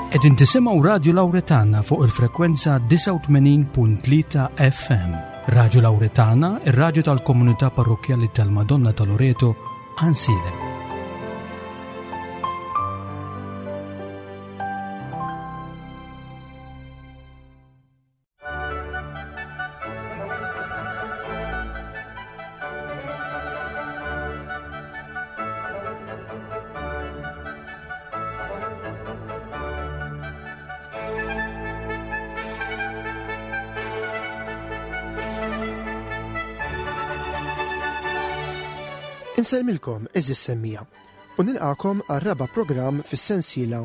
Qegħdin tisimgħu Radju Lawretana fuq il-frekwenza 89.3 FM. Radju Lawretana, ir-radju tal-komunità parrokkjali tal-Madonna ta' Loreto, Ansilem. Insellmilkom eżis semmija u nilqakom għar-raba' programm fis-sensiela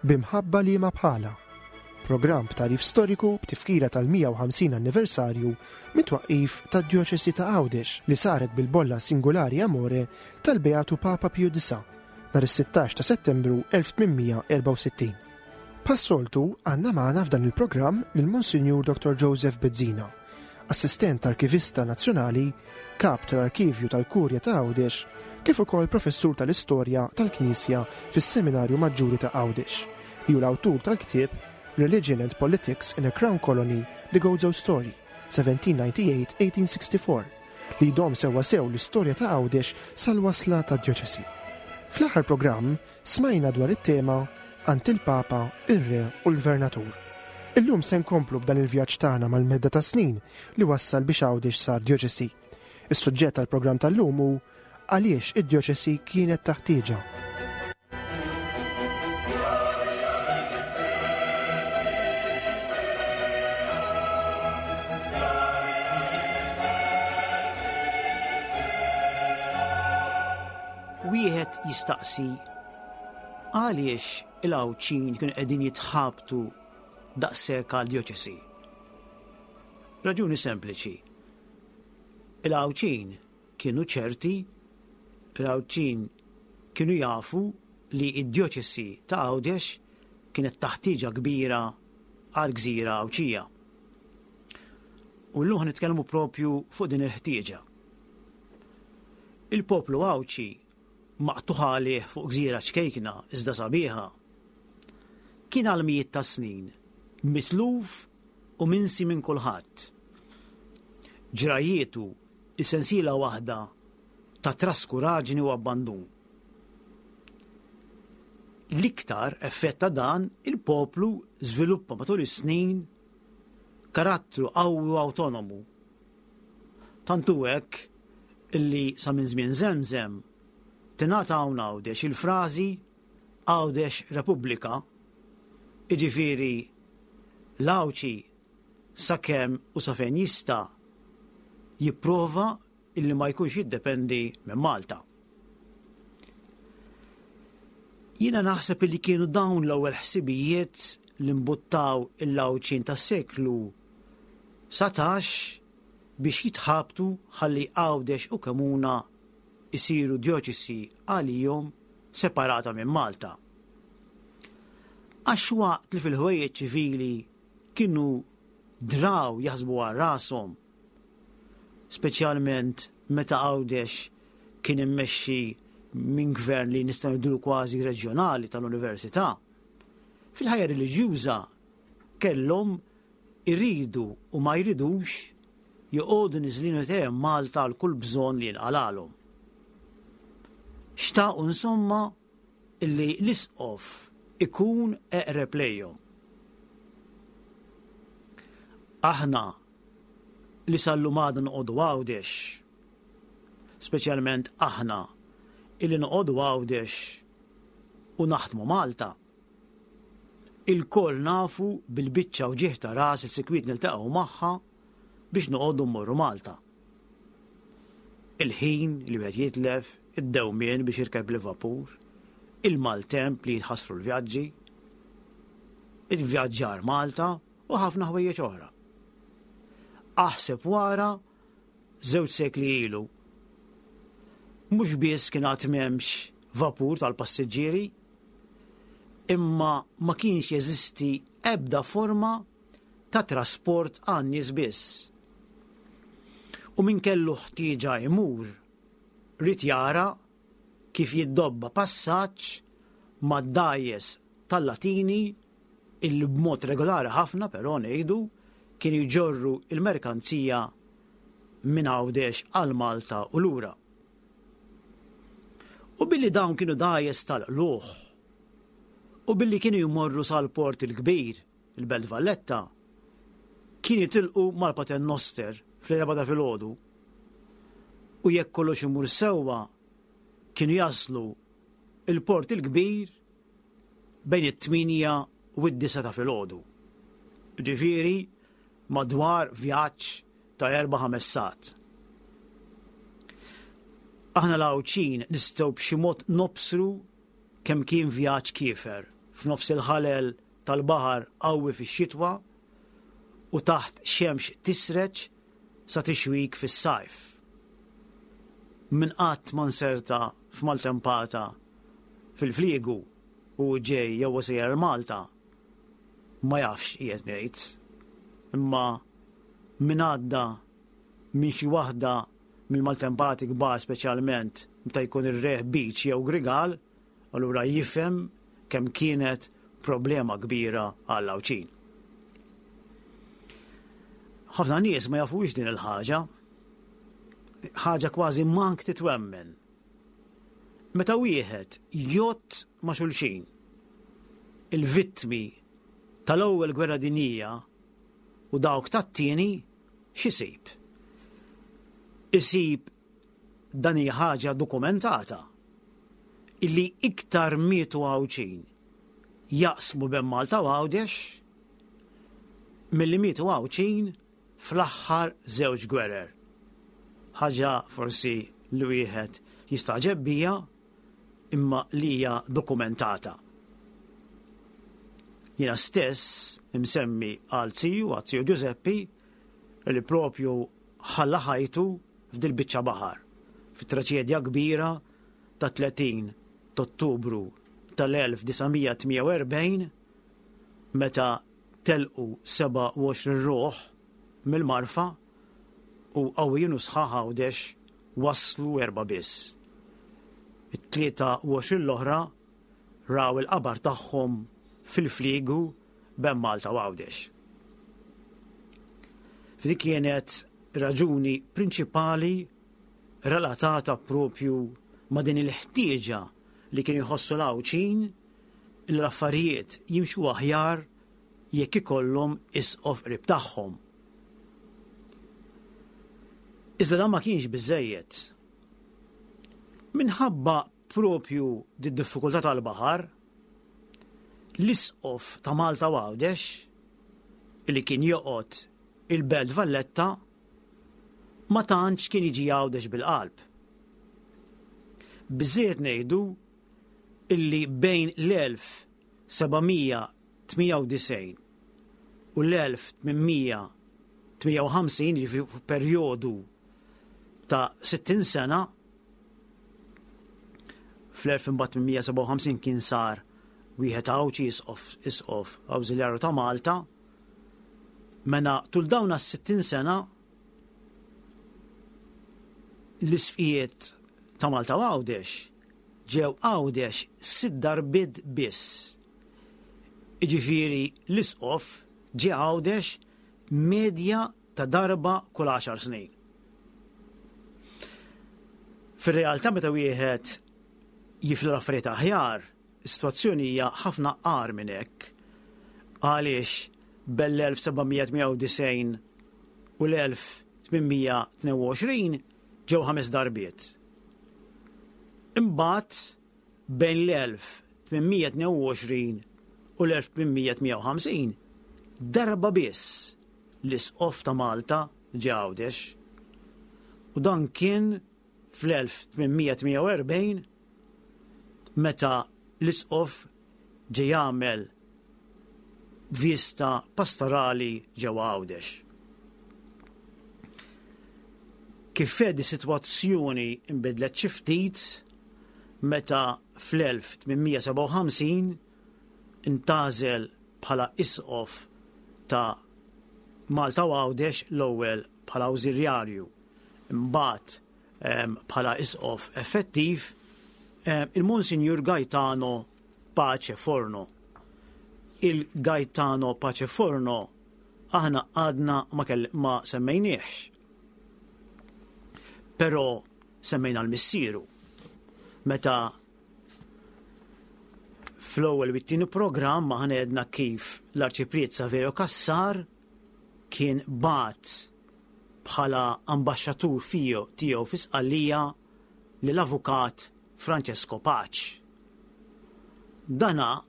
B'imħabba liema bħalha. Programm b'tagħrif storiku b'tifkira tal-150 anniversarju mit-twaqqif tad-Djoċesi ta' Għawdex li saret bil-Bolla Singulari Amore tal-Beatu Papa Piju Disa' nhar is-16 ta' Settembru 1864. Bħas-soltu għandna magħna f'dan il-programm lil Monsinjur Dottor Joseph Bezzina, Assistent Arkivista Nazzjonali, Kap tal-Arkivju tal-Kurja ta' Għawdex, kif ukoll Professur tal-Istorja tal-Knisja fis-Seminarju Maġġuri ta' Għawdex, li hu l-awtur tal-ktieb Religion and Politics in a Crown Colony, The Gozo Story, 1798-1864, li jdomm sewwasew l-istorja ta' Għawdex sal-wasla tad-djoċesi. Fl-aħħar programm, Smajna dwar it-tema Għand il-Papa, ir-Re u l-Gvernatur. Illum se nkomplu b'dan il-vjaġġ tagħna mal-medda tas-snin li wassal biex Għawdex sar djoċesi. Is-suġġett tal-programm tal-lum hu Għaliex id-djoċesi kienet ta' ħtieġa. Wieħed jistaqsi għaliex il-Għawdxin kienu qegħdin jitħabtu daqshekk għal djoċesi. Raġuni sempliċi. Il-Għawdxin kienu ċerti, il-Għawdxin kienu jafu li d-djoċesi ta' Għawdex kienet taħtieġa kbira għal gżira Għawdxija. U llum nitkellmu propju fuq din il-ħtieġa. Il-poplu Għawdxi, maqtugħ għalih fuq gżira ċkejkna iżda sabiħa, kien għal mijiet ta' snin mitluf u minsi minn kulħadd. Ġrajjietu hi sensiela waħda ta' traskuraġni u abbandun. L-iktar effett ta' dan il-poplu żviluppa matul is-snin karattru qawwi u awtonomu Tant hu hekk illi sa minn żmien Żemżem tingħata hawn Għawdex il-frażi Għawdex Repubblika, jiġifieri l-Għawdxi sakemm u sa fejn jista' jipprova illi ma jkunx jiddependi minn Malta. Jiena naħseb illi kienu dawn l-ewwel ħsibijiet li mbuttaw il-Għawdxin tas-seklu 19 biex jitħabtu ħalli Għawdex u Kemuna jsiru djoċesi għalihom separata minn Malta. Għax waqt li fil-ħwejjeġ ċivili kienu draw jaħsbu għal rashom, speċjalment meta Għawdex kien immexxi minn gvern li nistgħu ngħidulu kważi reġjonali tal-università, fil-ħajja reliġjuża kellhom iridu u ma jridux joqogħdu niżlin idejhom Malta għal kull bżonn li jinqalalhom. Xtaqu insomma illi l-isqof ikun eqreb lejhom. Aħna li sal-lum għadna noqogħdu Għawdex, speċjalment aħna illi noqogħdu Għawdex u naħdmu Malta, Ilkoll nafu bil-biċċa wġigħ ta' ras li sikwit niltaqgħu magħha biex noqogħdu mmorru Malta. Il-ħin li wieħed jitlef, id-dewmien biex jirkeb il-vapur, il-maltemp li jitħassru l-vjaġġi, il-vjaġġar Malta u ħafna ħwejjeġ oħra. Aħseb wara żewġ sekli ilu. Mhux biss kien għad m'hemmx vapur tal-passiġġieri, imma ma kienx jeżisti ebda forma ta' trasport għan-nies biss. U min kellu ħtieġa jmur, ried jara kif jiddobba passaġġ mad-dgħajjes tal-Latini. Illi b'mod regolari ħafna però ngħidu kienu jġorru il-merkanzija minn Għawdex għal Malta u lura. U billi dawn kienu dgħajjes tal-qlugħ u billi kienu jmorru sal-Port il-Kbir, il-Belt Valletta, kien jitilqu mal-Paternoster fl-erbgħa ta' filgħodu u jekk kollox imur sewwa kienu jaslu il-Port il-Kbir bejn it-8 u d-9 ta' filgħodu. Ġifieri madwar vjaġġ ta' 4-5 sigħat. Aħna l-Għawdxin nistgħu b'xi mod nobsru kemm kien vjaġġ kiefer f'nofs il-ħalel tal-baħar qawwi fix-xitwa u taħt xemx tisreġ sa tixwik fis-sajf. Min qatt ma nserta f'maltempata fil-fliegu u hu ġej jew hu sejjer għal Malta ma jafx x'qiegħed ngħid. Imma min għadda minn xi waħda mill-maltempati kbar speċjalment meta jkun ir-reħ beach jew grigal, allura jifhem kemm kienet problema kbira għall-Għawdxin. Ħafna nies ma jafux din il-ħaġa. Ħaġa kważi mank titwemmen. Meta wieħed jgħodd ma' xulxin il-vittmi tal-ewwel gwerra dinjija u dawk tat-tieni, x'isib? Isib dan hija ħaġa dokumentata illi iktar mietu Għawdxin jaqsmu bejn Malta u Għawdex milli mietu Għawdxin fl-aħħar żewġ gwerer. Ħaġa forsi li wieħed jistagħġeb bija imma li hija dokumentata. Jiena stess imsemmi għal ziju, għal ziju Giuseppi, li propju ħalla ħajtu f'dil-biċċa baħar, fit-traċedja kbira ta' 30 t'Ottubru tal-1948 meta telqu 27 ruħ mill-Marfa u qawwijin u sħaħ Għawdex waslu erbgħa biss. It-23 l-oħra raw il-qabar tagħhom fil-fliegu bejn Malta u Għawdex. F'dik kienet raġuni prinċipali relatata propju ma' din il-ħtieġa li kienu jħossu l-Għawdxin li l-affarijiet jimxu aħjar jekk ikollhom isqof qrib tagħhom. Iżda dan ma kienx biżejjed. Minħabba propju d-diffikultà tal-baħar, l-isqof ta' Malta u Għawdex, li kien joqgħod il-Belt Valletta, ma tantx kien jiġi Għawdex bil-qalb. Biżżejjed ngħidu illi bejn l-1798 u l-1858, jiġifieri f'perjodu ta' 60 sena, Fl-1857 kien sar wieħed Għawdxi isqof isqof awżiljarju ta' Malta. Mena tul dawn għas-60 sena l-isqfijiet ta' Malta u Għawdex ġew Għawdex sitt darbiet biss. Iġifieri l-isqof ġie Għawdex medja ta' darba kull għaxar snin. Fir-realtà meta wieħed jifla l-affarijiet aħjar, is-sitwazzjoni hija ħafna agħar minn hekk. Għaliex bel-1798 u l-1822 ġew ħames darbiet. Imbagħad bejn l-1822 u l-1858 darba biss l-Isqof ta' Malta ġie Għawdex. U dan kien fl-1848 meta l-Isqof ġie jagħmel vista pastorali ġewwa Għawdex. Kif fedi sitwazzjoni nbidlet xi ftit meta fl-1857 intgħażel bħala Isqof ta' Malta u Għawdex l-ewwel bħala awżiljarju, imbagħad bħala Isqof effettiv, il-Monsinjur Gaetano Pace Forno. Il-Gaetano Pace Forno aħna għadna ma, ma semmejniex. Però semmejna l-missieru. Meta fl-ewwel u t-tieni programm aħna għedna kif l-Arċipriet Saverio Cassar kien bat bħala ambaxxatur fiju tiegħu fi Sqallija lill-avukat Francesco Pace. Dana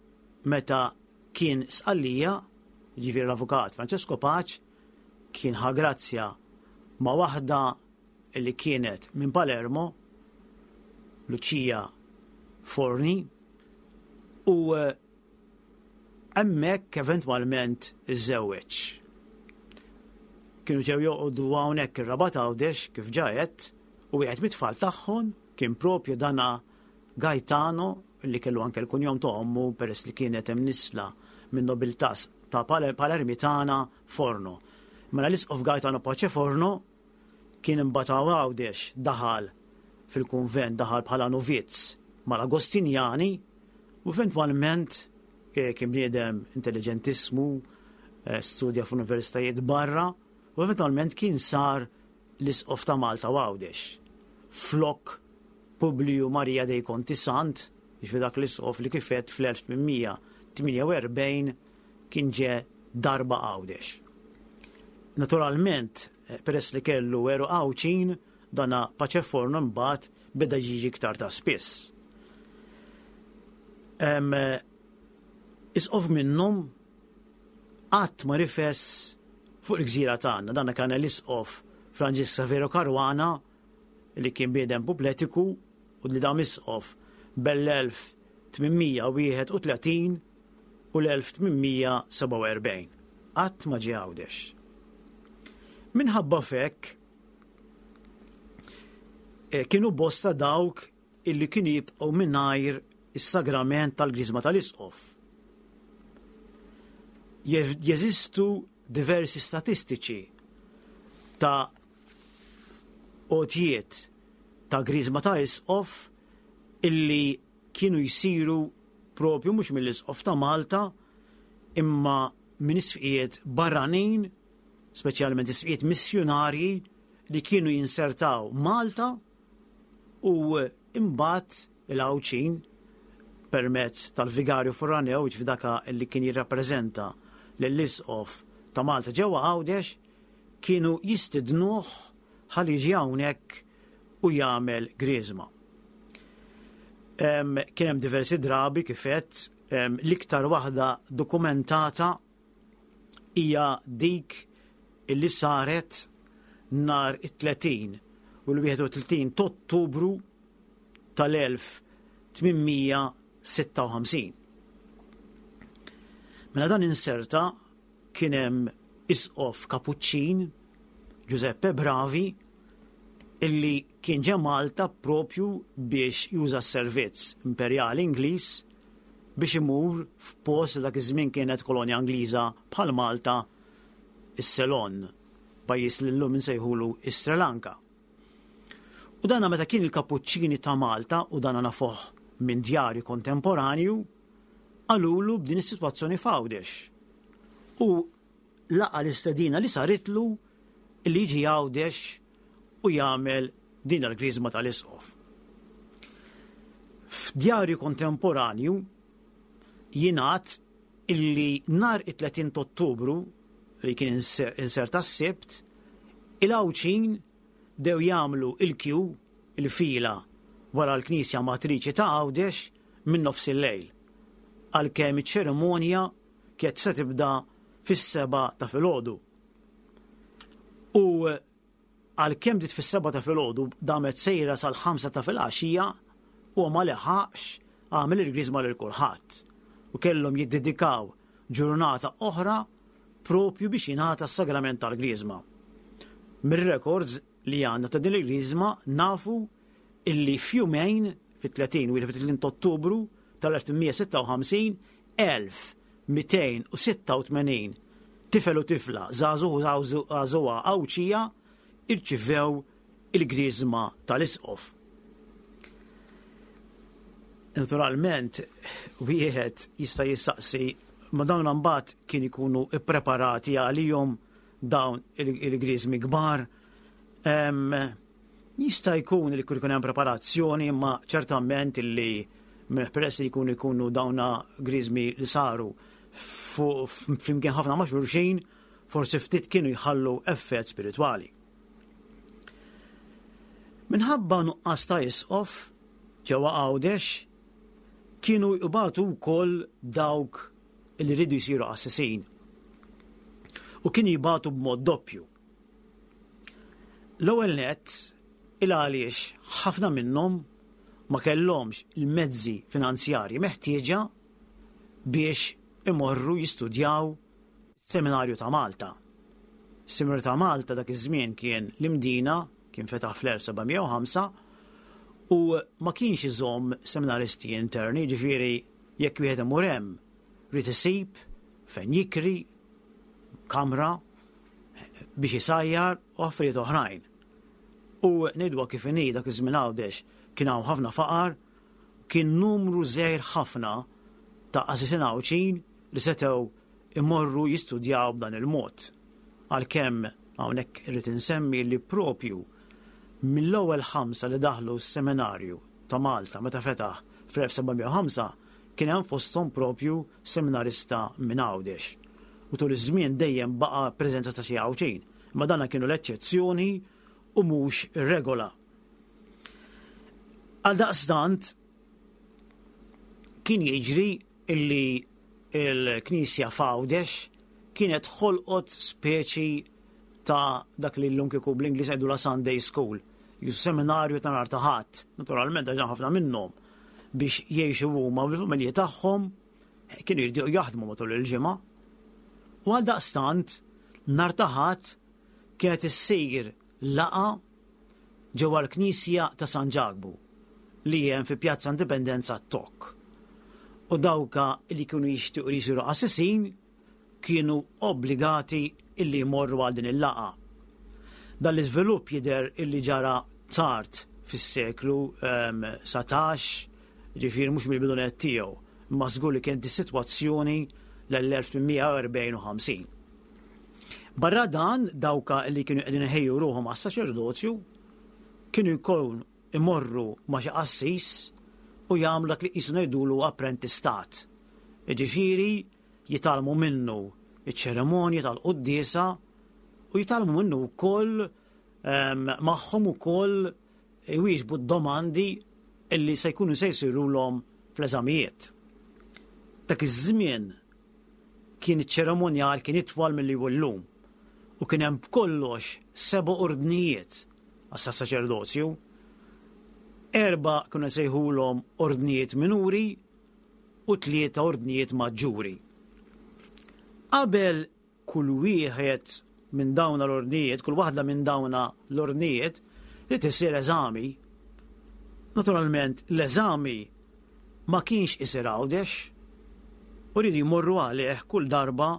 meta kien Sqallija, ġifieri l-avukat Francesco Pace, kien ħa grazzja ma' waħda li kienet minn Palermo, Lucia Forni, u eh, hemmhekk eventwalment iżżewweġ. Kienu ġew joqogħdu hawnhekk ir-Rabat Għawdex kif ġajet u wieħed mit-tfal tagħhom kien propju dana Gaetano li kellu anke l-kunjom ta' ommu peress li kienet hemm nisla minn nobiltà ta' Palermitana Forno. Mela l-isqof Gaetano Pace Forno kien imbagħad hawn Għawdex daħal fil-kunvent daħal bħala novizz mal-Agostinjani u eventwalment eh, kien bniedem intelligentissmu, eh, studja f'universitajiet barra u eventwalment kien sar l-isqof ta' Malta u Għawdex. Flok Publiju Maria dei Conti Sant, jiġifieri dak l-isqof li kif għedt fl-1848 kien ġe darba Għawdex. Naturalment, eh, peress li kellu għeruq Għawdxin, dana Pace Forno mbagħad beda jiġi iktar ta' spiss. Eh, isqof minnhom qatt ma rifes fuq il-gżira tagħna. Dana kan l-isqof Franġisk Savero Caruana li kien bniedem pupletiku u li dam isqof bell-1831 u l-1847. Qatt ma ġie Għawdex. Minħabba f'hekk eh, kienu bosta dawk illi kienu jibqgħu mingħajr is-sagrament tal-Griżma tal-Isqof. Jeżistu diversi statistiċi ta' għotjiet ta' Griżma ta' Isqof illi kienu jsiru propju mhux mill-Isqof ta' Malta imma minn isqfijiet barranin, speċjalment isqfijiet missjunarji li kienu jinsertaw Malta u imbagħad il-Għawdxin permezz tal-Vigarju Foraneu, jiġifieri dak li kien jirrappreżenta lill-Isqof ta' Malta ġewwa Għawdex, kienu jistidnuh ħalli jiġi hawnhekk u jagħmel griżma. Kien hemm diversi drabi kif għedt, l-iktar waħda dokumentata hija dik illi saret nhar it-30 u l-31 ta' Ottubru tal-1856. Mela dan inserta kien hemm isqof Kapuċċin Giuseppe Bravi illi kien ġe Malta propju biex juża s-servizz imperjali Ingliż biex imur f'post li dak iż-żmien kienet kolonja Ingliża bħal Malta, is-Ceylon, pajjiż li llum insejħulu is-Sri Lanka. U dana meta kien il-Kapuċċini ta' Malta, u dana nafuh minn djarju kontemporanju, qalulu b'din is-sitwazzjoni f'Għawdex. U laqa' l-istedina li saritlu li jiġi Għawdex u jagħmel din l-griżma tal-isqof. F'djarju kontemporanju jingħad illi nhar it-30 Ottubru li kien inserta s-Sibt, il-Għawdxin bdew jagħmlu il-kju, il-fila wara l-Knisja Matriċi ta' Għawdex minn nofs il-lejl, għalkemm iċ-ċerimonja kienet se tibda fis-sebgħa ta' filgħodu. U għalkemm bdiet fis-sebgħa ta' filgħodu damet sejra sal-ħamsa ta' filgħaxija u ma leħaqx għamel il-griżma lil kulħadd u kellhom jiddedikaw ġurnata oħra propju biex jingħata s-sagrament tal-griżma. Mir-records li għandna ta' din il-griżma nafu illi f'jumejn fit-30 u 31 Ottubru tal-1856 1286 tifel u tifla, żagħżugħ u żagħżugħa Għawdxija irċivew il-griżma tal-isqof. Naturalment, wieħed jista' jistaqsi Ma dawn mbagħad kien ikunu ippreparati għalihom dawn il-griżmi kbar. Jista' jkun li jkun hemm preparazzjoni, imma ċertament illi peress li jkunu jkunu dawna griżmi li saru flimkien ħafna ma' xulxin, forsi ftit kienu jħallu effett spiritwali. Minħabba nuqqas ta' isqof ġewwa Għawdex kienu jbatu wkoll dawk li rridu jsiru qassisin. U kienu jibatu b'mod doppju. L-ewwel nett il għaliex ħafna minnhom ma kellhomx il-mezzi finanzjarji meħtieġa biex imorru jistudjaw Seminarju ta' Malta. Seminarju ta' Malta dak iż-żmien kien l-Imdina, kien fetaħ fl-1705 u ma kienx iżomm seminaristi interni, ġifieri jekk wieħed imur hemm ried isib fejn jikri kamra biex isajjar u affarijiet oħrajn. U ngħidwa kif inhi dak iż-żmien Għawdex kien hawn ħafna faqar, kien numru żgħir ħafna ta' qasisin Għawdxin li setgħu imorru jistudjaw b'dan il-mod. Għalkemm hawnhekk irrid insemmi li propju mill-ewwel ħamsa li daħlu s-seminarju ta' Malta meta fetaħ fl-1705 kien hemm fosthom propju seminarista minn Għawdex. U tul iż-żmien dejjem baqa' preżenza ta' xi Għawdxin, imma dana kienu l-eċċezzjoni u mhux ir-regola. Għaldaqstant kien jiġri illi l-Knisja f'Għawdex kienet ħolqot speċi ta' dak li llum kieku bl-Ingliż jgħidu la Sunday School, ju seminarju ta' nhar ta' Ħadd, naturalment għax ħafna minnhom biex jgħixu huma u l-familji tagħhom kienu jridu jaħdmu matul il-ġimgħa. U għal daqstant nhar ta' Ħadd kienet issir laqgħa ġewwa l-Knisja ta' San Ġakbu li hemm fi Pjazza Indipendenza Tokk. U dawka li kienu jixtiequ li jsiru qassisin kienu obbligati illi jmorru għal din il-laqgħa. Dan l-iżvilupp jidher illi ġara tard fis-seklu 19, ġifieri mhux mill-bidu nett tiegħu, imma żgur li kienet is-sitwazzjoni l-1840 u 50. Barra dan, dawka li kienu qegħdin iħejju ruħhom għas-saċerdozju kienu jkun imorru ma' xi qassis u jagħmlu dak li qisu ngħidulu apprentistat. Jiġifieri jitgħallmu minnu iċ-ċerimonji tal-quddiesa u jitgħallmu minnu wkoll ehm, magħhom ukoll iwieġbu d-domandi illi se jkunu se jsirulhom fl-eżamijiet. Dak iż-żmien kien iċ-ċerimonjal kien itwal milli hu llum u kien hemm b'kollox seba' ordnijiet għas-saċerdozju. Erba' kienu jsejħulhom ordnijiet minuri u tlieta ordnijiet maġġuri. Qabel kull wieħed minn dawn l-ordnijiet, kull waħda minn dawn l-ordnijiet li tisir eżami. Naturalment l-eżami ma kienx isir Għawdex u rridu jmorru għalih kull darba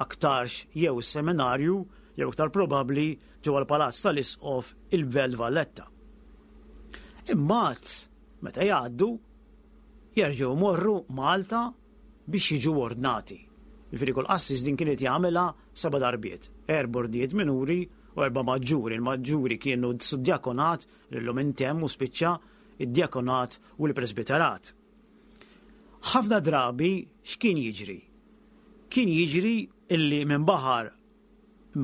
aktarx jew is-seminarju jew iktar probabbli ġewwa l-Palazz tal-Isqof il-Belt Valletta. Imbagħad meta jgħaddu jerġgħu jmorru Malta biex jiġu ordnati. Jiġifieri kull qassis din kienet jagħmilha seba' darbiet, erba' ordnijiet minuri u erba' maġġuri. Il-maġġuri kienu s-suddiakonat li llum intemm u spiċċa, id-djakonat u l-presbiterat. Ħafna drabi x'kien jiġri? Kien jiġri illi minn baħar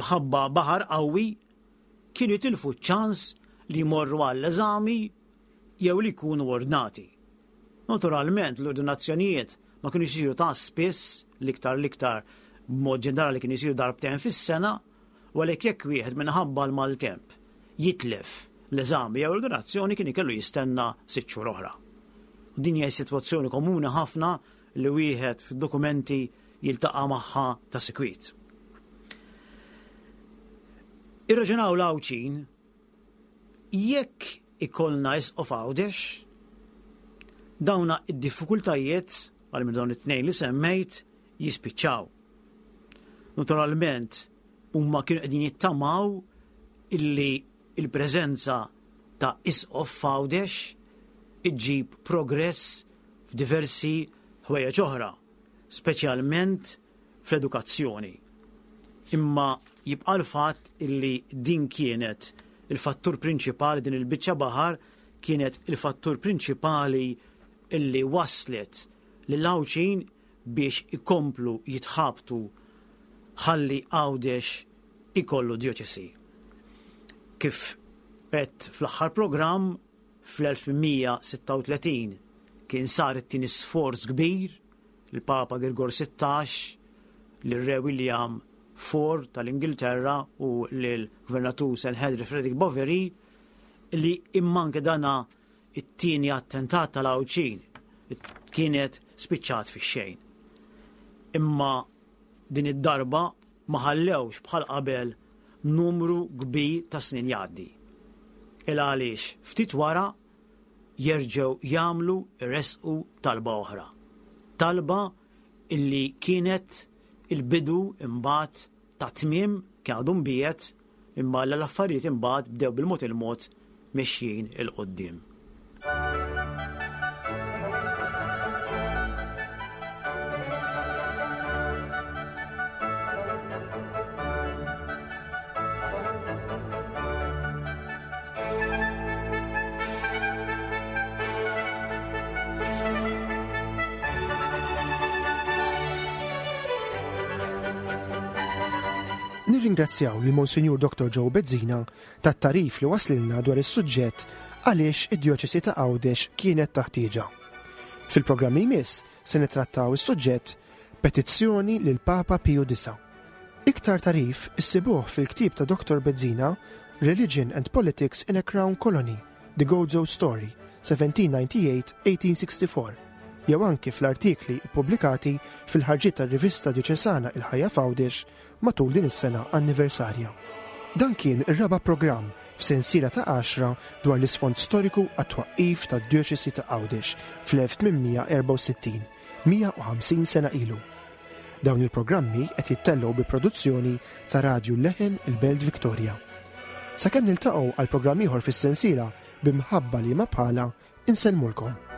mħabba baħar qawwi kienu jitilfu ċ-ċans li jmorru għall-eżami jew li jkunu ordnati. Naturalment l-ordinazzjonijiet ma kienux isiru ta' spiss, l-iktar l-iktar b'mod ġenerali kienu jsiru darbtejn fis-sena, u għalhekk jekk wieħed minħabba l-maltemp jitlef l-eżami jew l-ordinazzjoni kien ikellu jistenna sitt xhur oħra. U din hija sitwazzjoni komuni ħafna li wieħed fid-dokumenti jiltaqa' magħha ta' sikwit. Irraġunaw l-Għawdxin Jekk ikollna isqof Għawdex, dawna id-diffikultajiet għal minn dawn it-tnejn li semmejt jispiċċaw. Naturalment, huma kienu qegħdin jittamaw illi il-preżenza ta' isqof f'Għawdex iġġib progress f'diversi ħwejjeġ oħra. speċjalment fl-edukazzjoni. Imma jibqa' l-fatt illi din kienet il-fattur prinċipali din il-biċċa baħar kienet il-fattur prinċipali illi waslet lill-Għawdxin biex ikomplu jitħabtu ħalli Għawdex ikollu djoċesi. Kif għedt fl-aħħar programm, fl-1836 kien sar it-tieni sforz kbir, il-Papa Girgor 16, lir-Re William IV tal-Ingilterra u lill-Gvernatur Sir Henry Frederick Boveri li imma anke dana it-tieni attentat tal-Għawdxin kienet spiċċat fix-xejn. Imma din id-darba ma ħallewx bħal qabel numru kbir ta' snin jgħaddi. Il għaliex ftit wara jerġgħu jagħmlu jressqu talba oħra. Talba illi kienet il-bidu imbagħad ta' tmiem kien għadu mbiegħed imma l-affarijiet imbagħad bdew bil-mod il-mod mexjin 'il quddiem. Nirringrazzjaw lil Monsinjur Dr. Joe Bezzina tat-tagħrif li waslilna dwar is-suġġett għaliex id-Djoċesi ta' Għawdex kienet taħtieġa. Fil-programm li jmiss se nittrattaw is-suġġett Petizzjoni lil Papa Piju Disa'. Iktar tagħrif issibuh fil-ktieb ta' Dr. Bezzina Religion and Politics in a Crown Colony, The Gozo Story, 1798-1864, jew anki fl-artikli ppubblikati fil-ħarġiet tar-rivista djoċesana Il-Ħajja f'Għawdex matul din is-sena anniversarja. Dan kien ir-raba' programm f'sensiela ta' għaxra dwar l-isfond storiku għat-twaqqif tad-Djoċesi ta' Għawdex fl-1864, 150 sena ilu. Dawn il-programmi qed jittellgħu bi produzzjoni ta' Radju Leħen il-Belt Victoria. Sakemm niltaqgħu għal programm ieħor fis-sensiela b'imħabba liema bħala, Insellmulkom.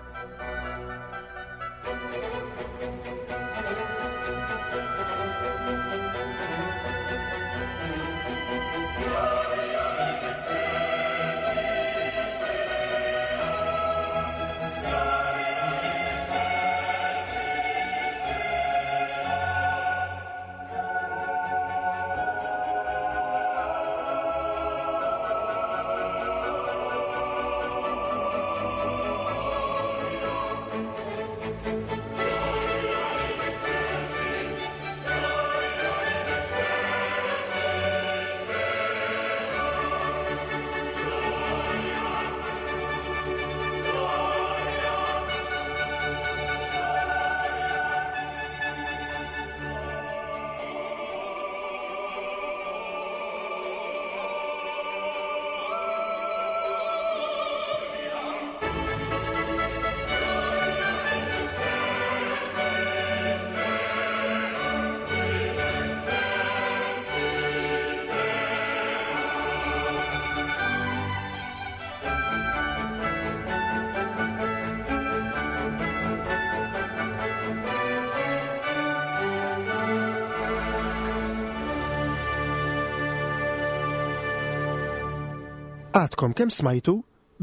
Għadkom kemm smajtu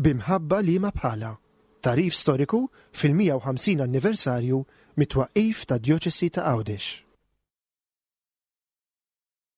B'imħabba liema bħalha, tagħrif storiku fil-150 anniversarju mit-twaqqif tad-Djoċesi ta' Għawdex.